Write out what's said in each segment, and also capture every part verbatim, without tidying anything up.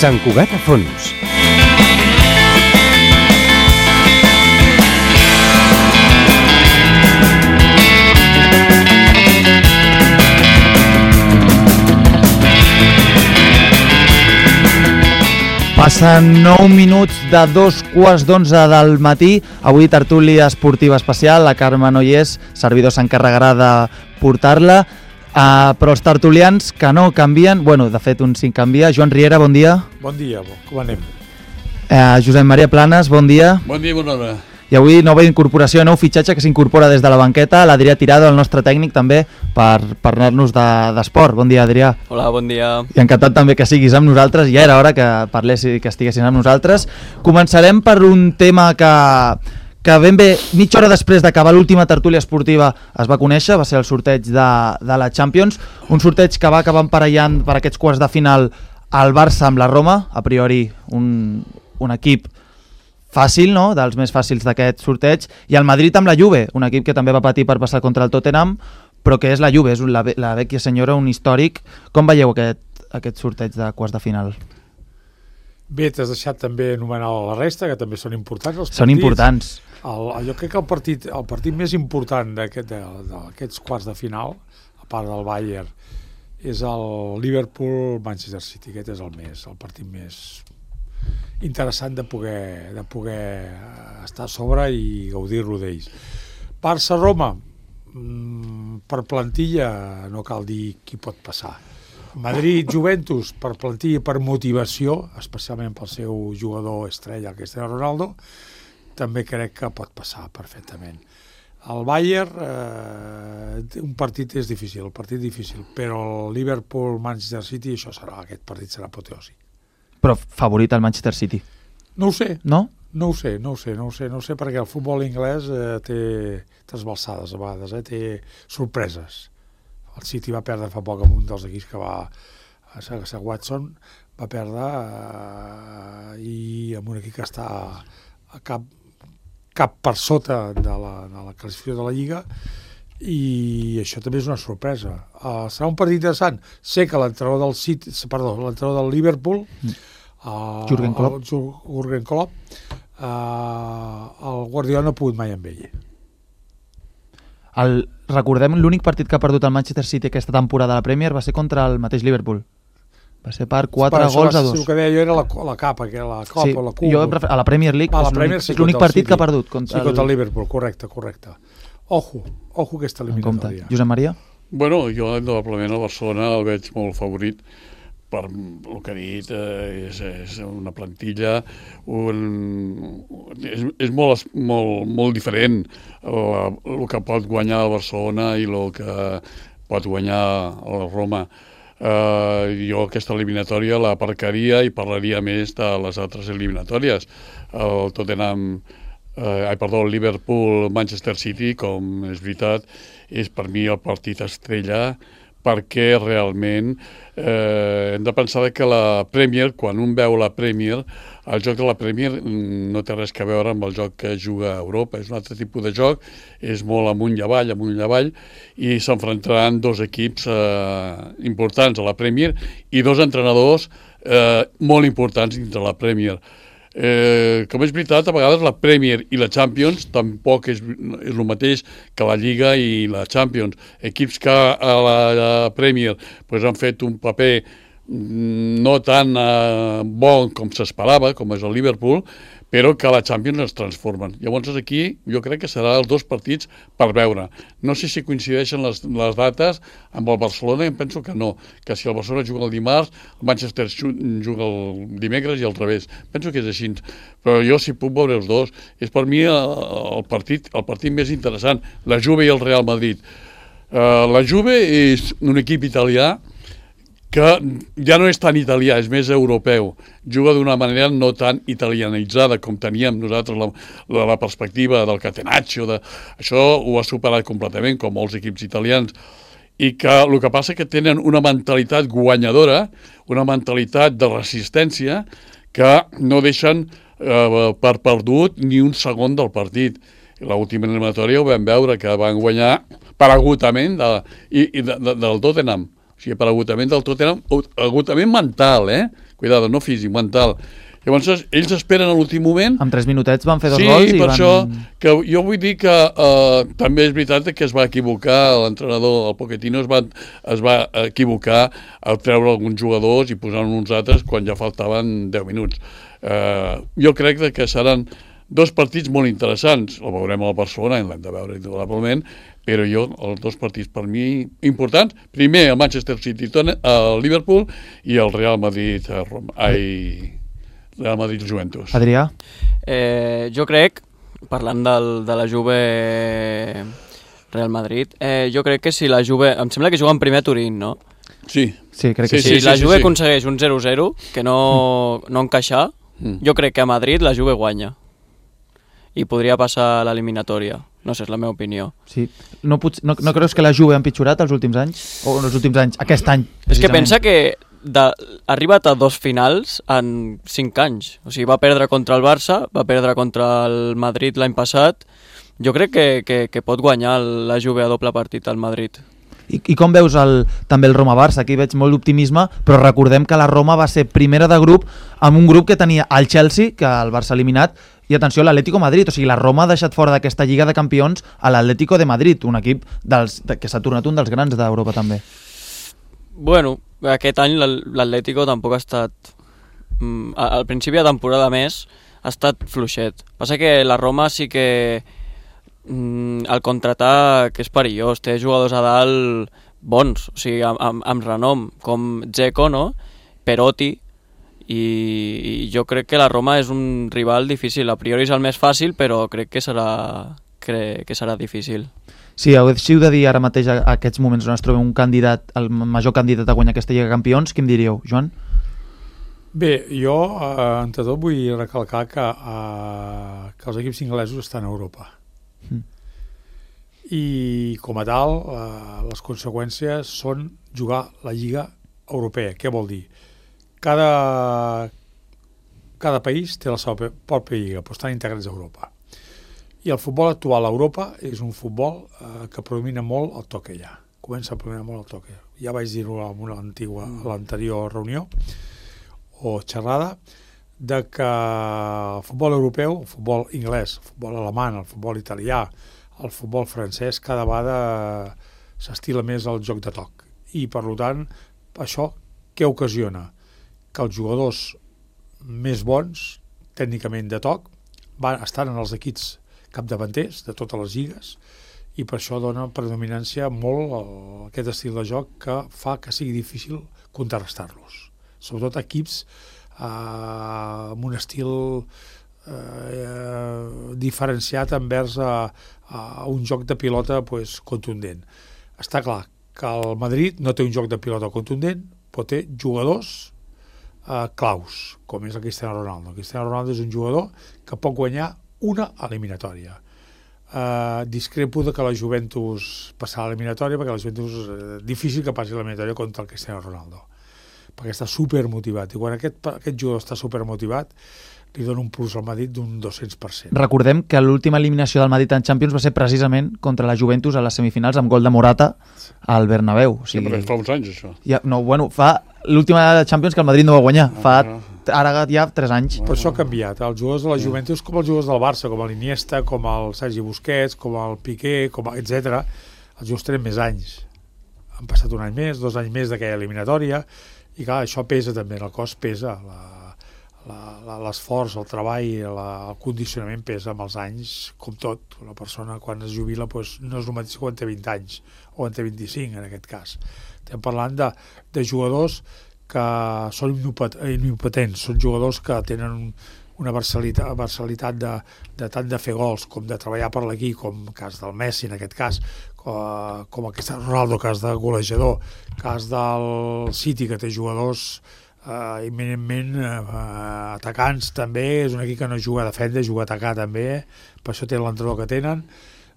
Sant Cugat a fons. Passen nou minuts de dos quarts d'onze del matí. Avui tertúlia esportiva especial. La Carme no hi és, servidor s'encarregarà de portar-la. Uh, però els tertulians que no canvien, bueno, de fet un sí canvia. Joan Riera, bon dia. Bon dia, com anem? Uh, Josep Maria Planes, bon dia. Bon dia, bona hora. I avui nova incorporació, nou fitxatge que s'incorpora des de la banqueta, l'Adrià Tirado, el nostre tècnic també, per parlar-nos d'esport. Bon dia, Adrià. Hola, bon dia. I encantat també que siguis amb nosaltres, ja era hora que parlessis, que estiguessin amb nosaltres. Començarem per un tema que, que ben bé, mitja hora després d'acabar l'última tertúlia esportiva es va conèixer, va ser el sorteig de, de la Champions, un sorteig que va acabar emparellant per aquests quarts de final el Barça amb la Roma, a priori un, un equip fàcil, no?, dels més fàcils d'aquest sorteig, i el Madrid amb la Juve, un equip que també va patir per passar contra el Tottenham, però que és la Juve, és la, la vecchia senyora, un històric. Com veieu aquest, aquest sorteig de quarts de final? Bé, t'has deixat també anomenar la resta, que també són importants els partits. Són importants. El, jo crec que el partit, el partit més important d'aquests aquest, quarts de final, a part del Bayern, és el Liverpool-Manchester City. Aquest és el més, el partit més interessant de poder, de poder estar a sobre i gaudir-lo d'ells. Barça-Roma, per plantilla no cal dir qui pot passar. Madrid-Juventus, per plantilla i per motivació, especialment pel seu jugador estrella, Cristiano Ronaldo, també crec que pot passar perfectament. El Bayern, eh, un partit és difícil, un partit difícil, però el Liverpool-Manchester City, això serà, aquest partit serà apoteòsic. Però favorit al Manchester City. No ho sé. No? No ho sé, no ho sé, no ho sé, no ho sé, perquè el futbol anglès eh, té trasbalsades a vegades, eh, té sorpreses. El City va perdre fa poc amb un dels equips que va, a Sir Watson, va perdre eh, i amb un equip que està a cap, cap per sota de la, de la classificació de la Lliga, i això també és una sorpresa. Uh, serà un partit interessant. Sé que l'entrenador del City, perdó, l'entrenador del Liverpool, uh, Jürgen Klopp, el, Jürgen Klopp, uh, el Guardiola no ha pogut mai amb ell. El, recordem, l'únic partit que ha perdut el Manchester City aquesta temporada a la Premier va ser contra el mateix Liverpool. Va ser per quatre gols a dos. El que deia jo era la, la capa, que la Copa sí, o la Cup. Jo a la Premier League ah, és l'únic sí, l'únic partit que ha perdut. Contra sí, contra el Liverpool, correcte, correcte. Ojo, ojo aquesta eliminatòria. Josep Maria? Bueno, jo indudablement el Barcelona el veig molt favorit per el que ha dit, eh, és, és una plantilla, un, és, és molt, molt, molt diferent el, el que pot guanyar el Barcelona i el que pot guanyar el Roma. Eh, jo aquesta eliminatòria la aparcaria i parlaria més de les altres eliminatòries. El Tottenham Uh, ai, perdó, el Liverpool-Manchester City, com és veritat, és per mi el partit estrella, perquè realment eh, hem de pensar que la Premier, quan un veu la Premier, el joc de la Premier no té res a veure amb el joc que juga a Europa, és un altre tipus de joc, és molt amunt i avall, amunt i avall, i s'enfrontaran dos equips eh, importants a la Premier i dos entrenadors eh, molt importants dins de la Premier. Eh, com és veritat, a vegades la Premier i la Champions tampoc és, és el mateix que la Lliga i la Champions. Equips que a la, la Premier pues, han fet un paper no tan eh, bon com s'esperava, com és el Liverpool, però que a la Champions es transformen. Llavors aquí jo crec que seran els dos partits per veure. No sé si coincideixen les, les dates amb el Barcelona, i em penso que no, que si el Barcelona juga el dimarts, el Manchester juga el dimecres i al revés. Penso que és així, però jo si puc veure els dos. És per mi el, el, partit, el partit més interessant, la Juve i el Real Madrid. Uh, la Juve és un equip italià que ja no és tan italià, és més europeu. Juga d'una manera no tan italianitzada com teníem nosaltres la, la, la perspectiva del Catenaccio. De, això ho ha superat completament, com molts equips italians. I que el que passa és que tenen una mentalitat guanyadora, una mentalitat de resistència, que no deixen eh, per perdut ni un segon del partit. L'última eliminatòria ho vam veure, que van guanyar per agotament de, i, i de, de, del Tottenham. O sigui, per agotament del Tottenham, agotament mental, eh? cuidado, no físic, mental. Llavors, ells esperen a l'últim moment... En tres minutets van fer dos sí, gols i per van... això, que jo vull dir que uh, també és veritat que es va equivocar, l'entrenador, el Pochettino, es va, es va equivocar al treure alguns jugadors i posar uns altres quan ja faltaven deu minuts. Uh, jo crec que seran dos partits molt interessants. El veurem al Barcelona, l'hem de veure indudablement, però jo, els dos partits per mi importants, primer el Manchester City, el Liverpool, i el Real Madrid, Roma, ai... Real Madrid i Juventus. Adrià? Eh, jo crec, parlant del, de la Juve Real Madrid, eh, jo crec que si la Juve... Em sembla que juguen primer a Turín, no? Sí. Sí, crec que sí. sí. Si la sí, Juve sí, sí. aconsegueix un zero zero, que no, no encaixar, mm. jo crec que a Madrid la Juve guanya. I podria passar a l'eliminatòria. No sé, és la meva opinió. Sí. No, pot, no, no creus que la Juve ha empitjorat els últims anys? O els últims anys? Aquest any, precisament. És que pensa que de, ha arribat a dos finals en cinc anys. O sigui, va perdre contra el Barça, va perdre contra el Madrid l'any passat. Jo crec que, que, que pot guanyar la Juve a doble partit al Madrid. I, i com veus el, també el Roma-Barça? Aquí veig molt d'optimisme, però recordem que la Roma va ser primera de grup amb un grup que tenia el Chelsea, que el Barça ha eliminat, i atenció, l'Atlético Madrid. O sigui, la Roma ha deixat fora d'aquesta Lliga de Campions a l'Atlético de Madrid, un equip dels, que s'ha tornat un dels grans d'Europa també. Bueno, aquest any l'Atlético tampoc ha estat... Mm, al principi de temporada més ha estat fluixet. Passa que la Roma sí que mm, el contraatac és perillós, té jugadors a dalt bons, o sigui, amb, amb, amb renom, com Dzeko, no? Perotti, i, i jo crec que la Roma és un rival difícil. A priori és el més fàcil, però crec que serà, crec que serà difícil. Sí, si heu de dir ara mateix a aquests moments on es troba un candidat, el major candidat a guanyar aquesta Lliga de Campions, quin diríeu, Joan? Bé, jo, eh, entre tot, vull recalcar que, eh, que els equips inglesos estan a Europa. Mm. I, com a tal, eh, les conseqüències són jugar la Lliga Europea. Què vol dir? Cada, cada país té la seva pròpia lliga, però estan integrats a Europa. I el futbol actual a Europa és un futbol eh, que predomina molt el toc allà. Comença a predominar molt el toc allà. Ja vaig dir-ho a l'anterior reunió o xerrada, de que el futbol europeu, el futbol anglès, el futbol alemany, el futbol italià, el futbol francès, cada vegada s'estila més el joc de toc. I, per tant, això què ocasiona? Que els jugadors més bons, tècnicament de toc, van estar en els equips capdavanters de totes les lligues, i per això dona predominància molt a aquest estil de joc que fa que sigui difícil contrarrestar-los. Sobretot equips eh, amb un estil eh, diferenciat envers a, a un joc de pilota pues, contundent. Està clar que el Madrid no té un joc de pilota contundent, però té jugadors eh, claus, com és el Cristiano Ronaldo. El Cristiano Ronaldo és un jugador que pot guanyar una eliminatòria. Uh, discrepo de que la Juventus passarà a l'eliminatòria, perquè la Juventus és uh, difícil que passi a l'eliminatòria contra el Cristiano Ronaldo, perquè està supermotivat, i quan aquest, aquest jugador està supermotivat li dona un plus al Madrid d'un dos-cents per cent. Recordem que l'última eliminació del Madrid en Champions va ser precisament contra la Juventus a les semifinals amb gol de Morata al Bernabéu. O sigui, sí, però fa uns anys, això. Ja, no, bueno, fa l'última Champions que el Madrid no va guanyar, fa ara ja tres anys. Per això ha canviat. Els jugadors de la Juventus, com els jugadors del Barça, com l'Iniesta, com el Sergi Busquets, com el Piqué, com etcètera, els jugadors tenen més anys. Han passat un any més, dos anys més d'aquella eliminatòria, i clar, això pesa també, el cos pesa, l'esforç, el treball, la, el condicionament pesa amb els anys, com tot. Una persona quan es jubila pues, no és el mateix quan té vint anys, o quan té vint-i-cinc en aquest cas. Estem parlant de, de jugadors que són impotents, són jugadors que tenen una versalitat, versalitat de, de tant de fer gols com de treballar per l'equip, com el cas del Messi en aquest cas, com, com el Cristiano Ronaldo, cas de golejador, cas del City, que té jugadors eh, eminentment eh, atacants també, és un equip que no juga a defendre, juga a atacar també, per això té l'entrenador que tenen.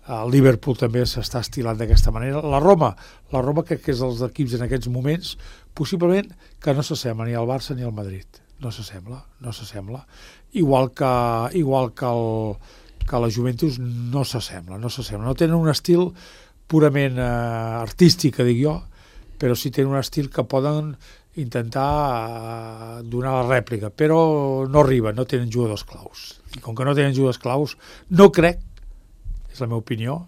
El Liverpool també s'està estilant d'aquesta manera. La Roma, la Roma crec que és dels equips en aquests moments, possiblement que no s'assembla ni al Barça ni al Madrid. No s'assembla, no s'assembla. Igual que, igual que, el, que la Juventus no s'assembla, no s'assembla. No tenen un estil purament eh, artístic, que dic jo, però sí tenen un estil que poden intentar donar la rèplica, però no arriba, no tenen jugadors claus. I com que no tenen jugadors claus, no crec, és la meva opinió,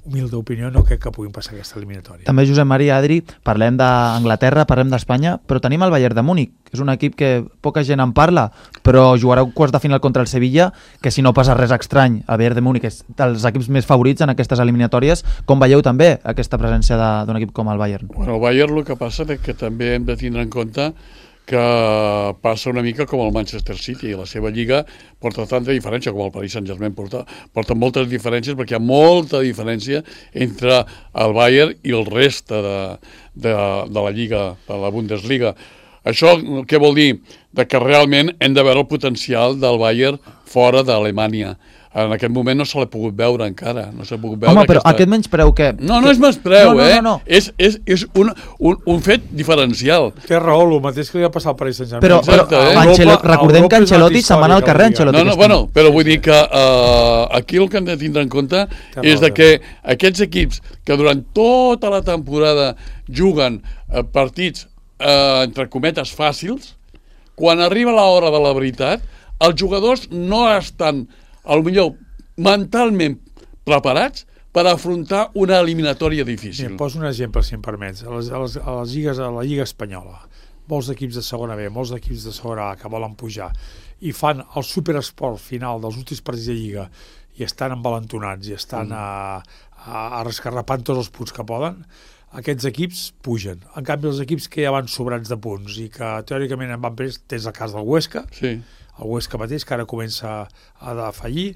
humilde opinió, no crec que puguin passar aquesta eliminatòria. També, Josep Maria, Adri, parlem d'Anglaterra, parlem d'Espanya, però tenim el Bayern de Múnich, que és un equip que poca gent en parla, però jugarà un quarts de final contra el Sevilla, que si no passa res estrany, el Bayern de Múnich és dels equips més favorits en aquestes eliminatòries. Com veieu també aquesta presència d'un equip com el Bayern? Bueno, el Bayern el que passa és que també hem de tindre en compte que passa una mica com el Manchester City. La seva lliga porta tanta diferència com el Paris Saint-Germain porta, porta moltes diferències, perquè hi ha molta diferència entre el Bayern i el reste de, de, de la lliga, de la Bundesliga. Això què vol dir? De que realment hem de veure el potencial del Bayern fora d'Alemanya. En aquest moment no se l'ha pogut veure encara. No s'ha pogut veure. Home, però aquesta... aquest menyspreu que... No, no és menyspreu, no, no, eh? No, no. És, és, és un, un, un fet diferencial. Té raó, el mateix que li va passar al Paris Saint-Germain. Però, però Exacte, eh? Ancelotti, recordem Europa que Ancelotti se'n va anar al carrer. històrica, Ancelotti No, no, aquest bueno, però vull dir que uh, aquí el que hem de tindre en compte és de que aquests equips que durant tota la temporada juguen uh, partits, uh, entre cometes, fàcils, quan arriba l'hora de la veritat, els jugadors no estan, potser mentalment preparats per afrontar una eliminatòria difícil. Mira, poso un exemple, si em permets. A, les, a, les, a, les lligues, a la Lliga Espanyola, molts equips de segona B, molts equips de segona A que volen pujar i fan el superesport final dels últims partits de Lliga i estan envalentonats i estan mm. a, a, a rescarrapant tots els punts que poden, aquests equips pugen. En canvi, els equips que ja van sobrats de punts i que teòricament en van prendre, tens el cas del Huesca, sí. el Huesca mateix, que ara comença a fallir.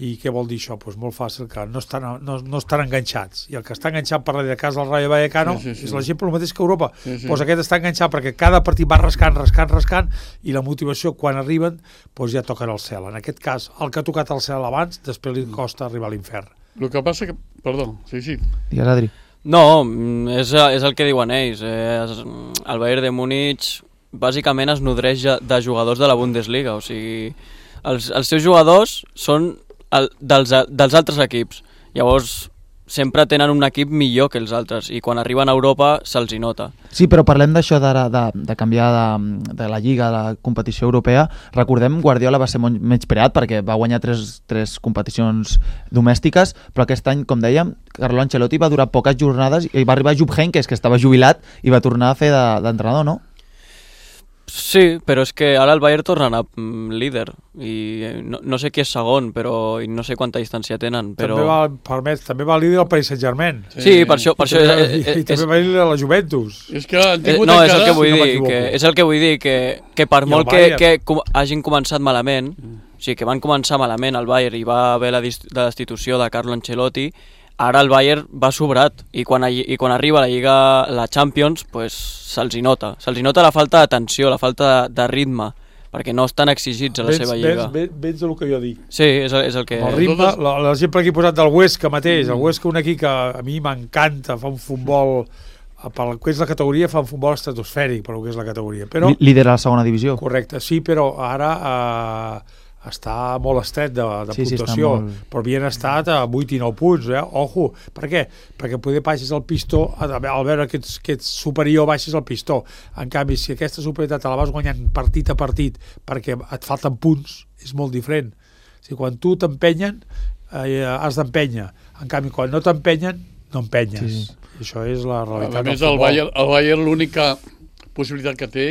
I què vol dir això? Pues molt fàcil, que no estan, no, no estan enganxats. I el que està enganxat per darrere de casa del Rayo Vallecano sí, sí, sí. és l'exemple el mateix que Europa. Sí, sí. Pues aquest està enganxat perquè cada partit va rascant, rascant, rascant, i la motivació quan arriben pues ja toquen el cel. En aquest cas, el que ha tocat el cel abans, després li costa arribar a l'infern. El que passa que... Perdó, sí, sí. Digues, Adri. No, és, és el que diuen ells. Eh, el Bayern de Múnich bàsicament es nodreix de jugadors de la Bundesliga. O sigui, els, els seus jugadors són el, dels, dels altres equips. Llavors, sempre tenen un equip millor que els altres i quan arriben a Europa se'ls hi nota. Sí, però parlem d'això de, de, de canviar de, de la Lliga, de la competició europea. Recordem, Guardiola va ser molt menyspreat perquè va guanyar tres, tres competicions domèstiques, però aquest any, com dèiem, Carlo Ancelotti va durar poques jornades i va arribar Jupp Heynckes, que estava jubilat, i va tornar a fer d'entrenador, no? Sí, però és que ara el Bayern torna a anar líder i no, no sé qui és segon, però i no sé quanta distància tenen, però... També va, permet, també va líder el Paris Saint-Germain. Sí, sí, per això... Per I, això també, és, és, i, i també va líder la Juventus. És que han tingut eh, no, encara... és el que vull si no dir, que, és el que vull dir, que, que per molt que, que com, hagin començat malament, mm. o sigui, que van començar malament el Bayern i va haver la, dist la destitució de Carlo Ancelotti, ara el Bayern va sobrat i quan, i quan arriba a la Lliga, la Champions, pues, se'ls hi nota. Se'ls hi nota la falta d'atenció, la falta de, de ritme, perquè no estan exigits a la vens, seva Lliga. Vens, vens el que jo dic. Sí, és, és el que... El ritme, l'exemple que he posat del Huesca mateix, el Huesca un equip que a mi m'encanta, fa un futbol, per el que és la categoria, fa un futbol estratosfèric, per el que és la categoria. Però, líder a la segona divisió. Correcte, sí, però ara... Eh, està molt estret de, de sí, puntuació, sí, molt... però havien estat a vuit i nou punts, eh? Ojo, per què? Perquè poder baixes el pistó, al veure que ets, que ets superior baixes el pistó. En canvi, si aquesta superioritat te la vas guanyant partit a partit perquè et falten punts, és molt diferent. O sigui, quan tu t'empenyen, eh, has d'empènyer. En canvi, quan no t'empenyen, no empenyes. Sí, sí. I això és la realitat. A més, el Bayern, el Bayern l'única possibilitat que té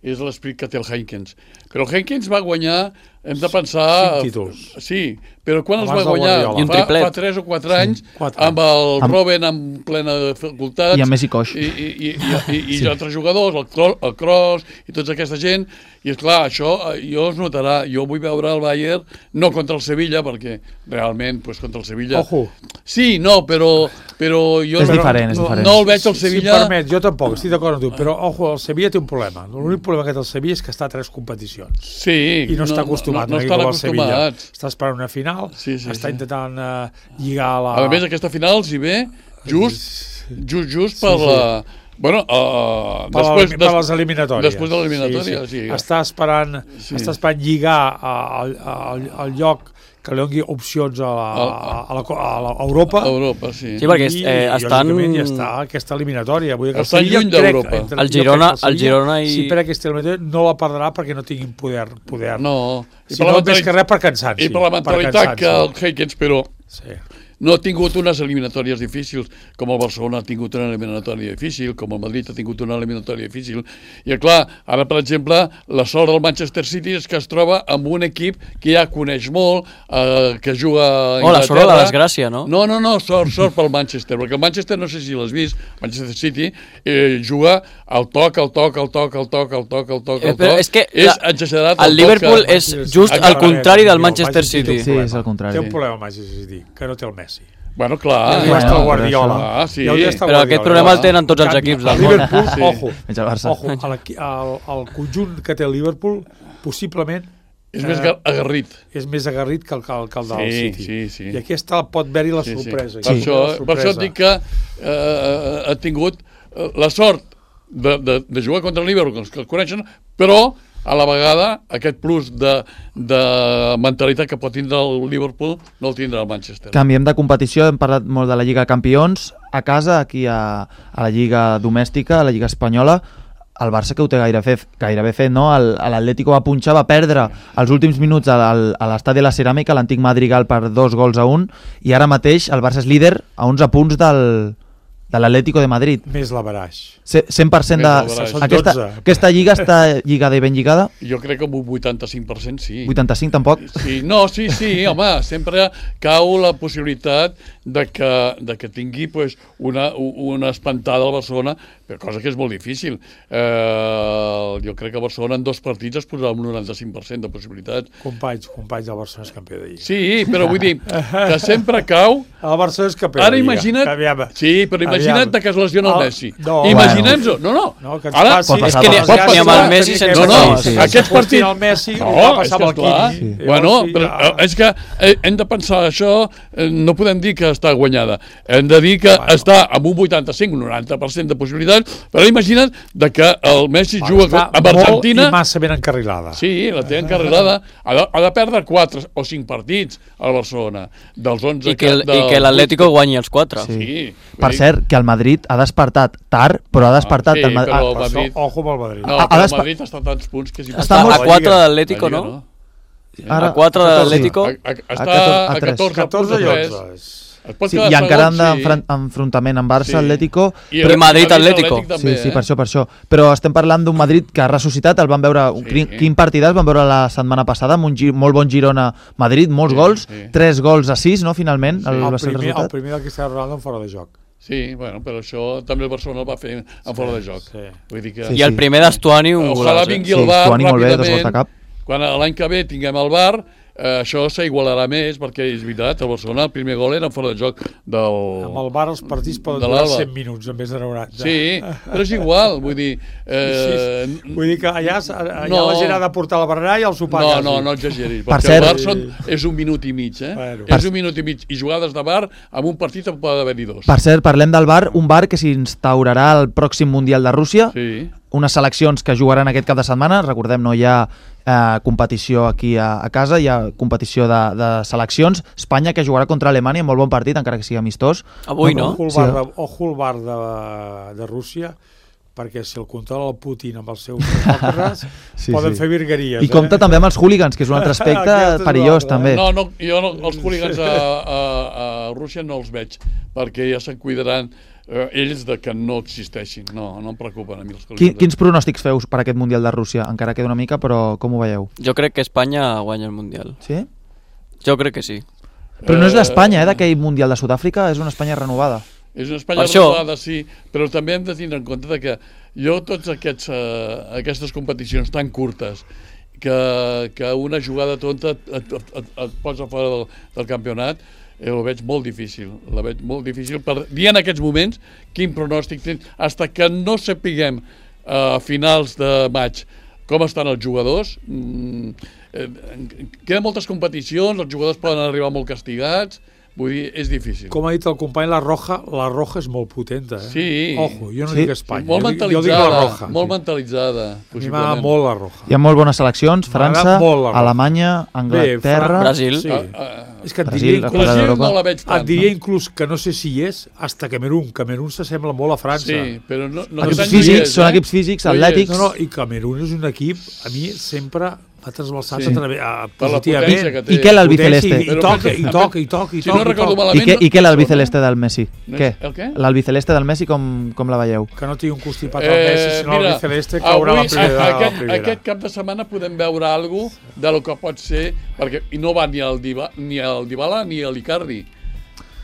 és l'esperit que té el Heynckes. Però el Heynckes va guanyar, hem de pensar... Cinc títols. Sí, però quan abans els va guanyar? Fa, fa tres o quatre anys, sí, quatre. amb el amb... Robben en plena facultat. I amb Messi coix. I, i, i, i, i, i sí. altres jugadors, el, Cro el Kroos i tota aquesta gent. I és clar, això jo es notarà. Jo vull veure el Bayern, no contra el Sevilla, perquè realment, pues, contra el Sevilla... Ojo. Sí, no, però... però jo és no, diferent, és no, diferent. No el veig al Sevilla... Si em permet, jo tampoc, estic d'acord amb tu, però ojo, el Sevilla té un problema. L'únic problema que té el Sevilla és que està a tres competicions. Sí. I no, no està acostumat. No, no, no estan acostumats. Està esperant una final, sí, sí, està sí. intentant uh, lligar la... A més, aquesta final, si ve, just, just, just per, sí, sí. La, Bueno, uh, per, després, per les eliminatòries. Després de l'eliminatòria, sí, sí. sí. Està esperant, Sí. està esperant lligar al, al, al lloc que li doni opcions a, la, a, la, a, la, a Europa. A Europa, sí. Sí, perquè I, eh, estan... lògicament, ja està aquesta eliminatòria. Vull dir que Estan Sevilla, lluny crec, d'Europa. entre- El jo Girona- crec que el Girona i- Si per aquesta eliminatòria no la perdrà perquè no tinguin poder. poder. No. I Si no, més que res per cansar-s'hi. I per la mentalitat que el Heikens, però Sí. no ha tingut unes eliminatòries difícils, com el Barcelona ha tingut una eliminatòria difícil, com el Madrid ha tingut una eliminatòria difícil. I, clar, ara, per exemple, la sort del Manchester City és que es troba amb un equip que ja coneix molt, eh, que juga a Oh, la sort de la Anglaterra. desgràcia, no? No, no, no, sort, sort pel Manchester, perquè el Manchester, no sé si l'has vist, Manchester City, eh, juga al toc, al toc, al toc, al toc, al toc, al toc, Eh, al però toc. és que és la- exagerat el toc Liverpool que- és just Sí, al sí, contrari sí, del sí, Manchester sí, sí, City. Sí, és al contrari. Té un problema el Manchester City, que no té el Messi. Bueno, clar. Ja està el bueno, Guardiola. Ah, sí. Ja hauria d'estar Però Guardiola. aquest problema el tenen tots els En canvi, equips el del món. Liverpool, Sí. ojo, Menys el Barça. ojo, el, el, el conjunt que té el Liverpool possiblement És més eh, agarrit. és més agarrit que el, que el, que el del Sí, City. sí, sí. I aquí està, pot haver-hi la Sí, sí. sorpresa. Per, Aquí això, la per això et sorpresa. dic que eh, ha tingut eh, la sort de, de, de jugar contra el Liverpool, que el coneixen, però a la vegada aquest plus de, de mentalitat que pot tindre el Liverpool no el tindrà el Manchester. Canviem de competició, hem parlat molt de la Lliga de Campions. A casa, aquí a, a la Lliga domèstica, a la Lliga espanyola, el Barça que ho té gaire fet, gairebé fet, no? El- L'Atlético va punxar, va perdre els últims minuts al- a l'estadi de la Ceràmica, l'antic Madrigal, per dos gols a un, i ara mateix el Barça és líder a onze punts del, de l'Atlético de Madrid. Més l'averaix. Ce- cent per cent de... Més l'averaix. Són Aquesta, dotze. aquesta lliga està lligada i ben lligada? Jo crec que amb un vuitanta-cinc per cent sí. vuitanta-cinc tampoc? Sí, no, sí, sí, home, sempre cau la possibilitat de que, de que tingui pues, una, una espantada al Barcelona, però cosa que és molt difícil. Eh, jo crec que Barcelona en dos partits es posarà un noranta-cinc per cent de possibilitats. Companys, companys, el Barcelona és campió de Lliga. Sí, però vull dir que sempre cau. El Barcelona és campió Ara de Lliga. imagina't... Aviam. Sí, però imagina't Aviam. que es lesiona el El- Messi. no. Imaginem-ho. No, no. No, que ens Ara, passi, pot passar, És que ni, pot ni amb el passar. Messi sense No, no, gols. sí, sí. aquest partit... El Messi No, va és passar que amb el esclar. Quini. Sí. Bueno, Llavors, sí, però ja- eh, és que eh, hem de pensar això, eh, no podem dir que està guanyada, hem de dir que Bueno. està amb un vuitanta-cinc, un noranta per cent de possibilitats, però imagina't de que el Messi Va, juga està amb Argentina. molt i massa ben encarrilada. Sí, la té encarrilada. Ha de, ha de perdre quatre o cinc partits al Barcelona, dels onze... I que, el- del- i que l'Atlético guanyi els quatre. Sí. Sí. Per cert, que el Madrid ha despertat tard, però ha despertat... sí, el Madrid... però- Per això, Madrid. ojo amb el Madrid. No, Ha- ha però el despa- Madrid està a tants punts que és Està Està molt- a quatre La de l'Atlético, La no? Lliga, Ara- A quatre de catorze. l'Atlético. A, a, està a a, tres. catorze, catorze punts i a tres. onze. Es pot Sí, quedar i encara segon, han sí. d'enfrontament amb Barça, Sí. Atlético... I, Però el- Madrid, Atlético. també, Sí, sí, eh? per això, per això. Però estem parlant d'un Madrid que ha ressuscitat, el van veure... Sí. Quin, quin partidàs van veure la setmana passada, amb un gi, molt bon Girona-Madrid, molts Sí, gols, sí. tres gols a sis, no?, finalment, Sí. el, El va ser el primer, el resultat. primer del Cristiano Ronaldo en fora de joc. Sí, bueno, però això també el Barcelona el va fer en fora de joc. Sí. Vull dir que... Sí, I el primer d'Estuani un Ojalà golaç. eh? vingui Sí, el bar Stuani molt bé, dos gols de ràpidament. cap. Quan l'any que ve tinguem el bar, eh, això s'igualarà més, perquè és veritat, el Barcelona el primer gol era en fora de joc del... Amb el bar els partits poden de durar l'Alba. cent minuts en vez de noranta. Sí, però és igual, vull dir... Eh, Sí, vull dir que allà, allà no. la gent ha de portar el berenar i el sopar. No, quasi. no, no exageris, Per perquè cert- el bar són, és un minut i mig, eh? Bueno. És un minut i mig, i jugades de bar, amb un partit en poden haver-hi dos. Per cert, parlem del bar, un bar que s'instaurarà al pròxim Mundial de Rússia, Sí. unes seleccions que jugaran aquest cap de setmana, recordem, no hi ha eh, competició aquí a, a casa, hi ha competició de, de seleccions, Espanya que jugarà contra Alemanya, molt bon partit, encara que sigui amistós. Avui, no? Ojo al Sí. bar, de, ojo al bar de, de Rússia, perquè si el controla el Putin amb els seus demòcrates, Sí, poden sí. fer virgueries. I compta eh? també amb els hooligans, que és un altre aspecte Aquest és perillós, un altre, també. No, no, jo no, els hooligans a, a, a Rússia no els veig, perquè ja se'n cuidaran eh, ells de que no existeixin. No, no em preocupen a mi els Quin, hooligans. quins pronòstics feu per aquest Mundial de Rússia? Encara queda una mica, però com ho veieu? Jo crec que Espanya guanya el Mundial. Sí? Jo crec que sí. Però no és l'Espanya, eh, d'aquell Mundial de Sud-àfrica, és una Espanya renovada. És una Espanya Per això- renovada, sí, però també hem de tindre en compte de que jo tots aquests, eh, aquestes competicions tan curtes que, que una jugada tonta et, et, et, et posa fora del, del campionat, eh, ho veig molt difícil, la veig molt difícil per dir en aquests moments quin pronòstic tens, fins que no sapiguem a finals de maig com estan els jugadors. Mm, eh, queden moltes competicions, els jugadors poden arribar molt castigats, Vull dir, és difícil. Com ha dit el company, la Roja, la Roja és molt potenta, eh? Sí. Ojo, jo no Sí. dic Espanya, Molt jo, dic, jo dic mentalitzada, la Roja. molt sí. mentalitzada. A mi m'agrada molt la Roja. Hi ha molt bones seleccions, M'agrada França, molt la Roja. Alemanya, Anglaterra... Fran- Brasil. Sí. Ah, ah, És que et Brasil, diria, la inclús, Copa Brasil d'Europa. no la veig tant. et diria inclús que no sé si hi és, hasta Camerún. Camerún s'assembla molt a França. Sí, però no, no Equips aquest any no hi físics, és, són eh? equips físics, No hi és. atlètics. No, no, i Camerún és un equip, a mi sempre m'ha trasbalsat Sí. a través, a, Per la potència positivament. que té. I què l'albiceleste? I, i, Però toca, pensa- i toca, i toca, i Si no toca. i recordo toca. I malament... què, i què no- l'albiceleste del Messi? No Què? és- el què? L'albiceleste del Messi com, com la veieu? Que no tingui un constipat al Messi, Eh, sinó el mira, Celeste caurà a la avui, primera. a- a la aquest, primera. aquest cap de setmana podem veure alguna cosa de lo que pot ser, perquè i no va ni al Diba, ni al Dybala ni a l'Icardi.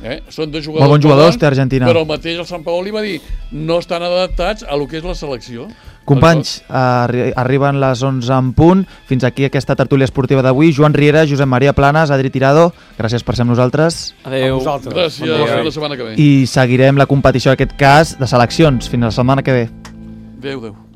Eh? Són dos jugadors Molt bons jugadors bons, té Argentina. Però el mateix el Sant Paoli va dir no estan adaptats a lo que és la selecció. Companys, arri arriben les onze en punt. Fins aquí aquesta tertúlia esportiva d'avui. Joan Riera, Josep Maria Planes, Adri Tirado, gràcies per ser amb nosaltres. A Adéu. vosaltres. Gràcies, Bon dia. fins la setmana que ve. I seguirem la competició, en aquest cas, de seleccions. Fins la setmana que ve. Adéu, adéu.